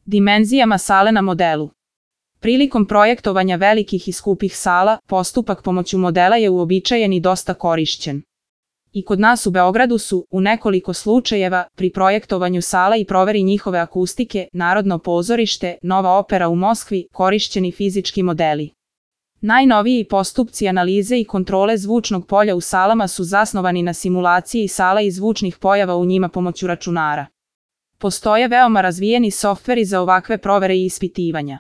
Dimenzijama sale na modelu. Prilikom projektovanja velikih i skupih sala, postupak pomoću modela je uobičajen i dosta korišćen. I kod nas u Beogradu su, u nekoliko slučajeva, pri projektovanju sala i proveri njihove akustike, Narodno pozorište, Nova opera u Moskvi, korišćeni fizički modeli. Najnoviji postupci analize i kontrole zvučnog polja u salama su zasnovani na simulaciji sala i zvučnih pojava u njima pomoću računara. Postoje veoma razvijeni softveri za ovakve provere i ispitivanja.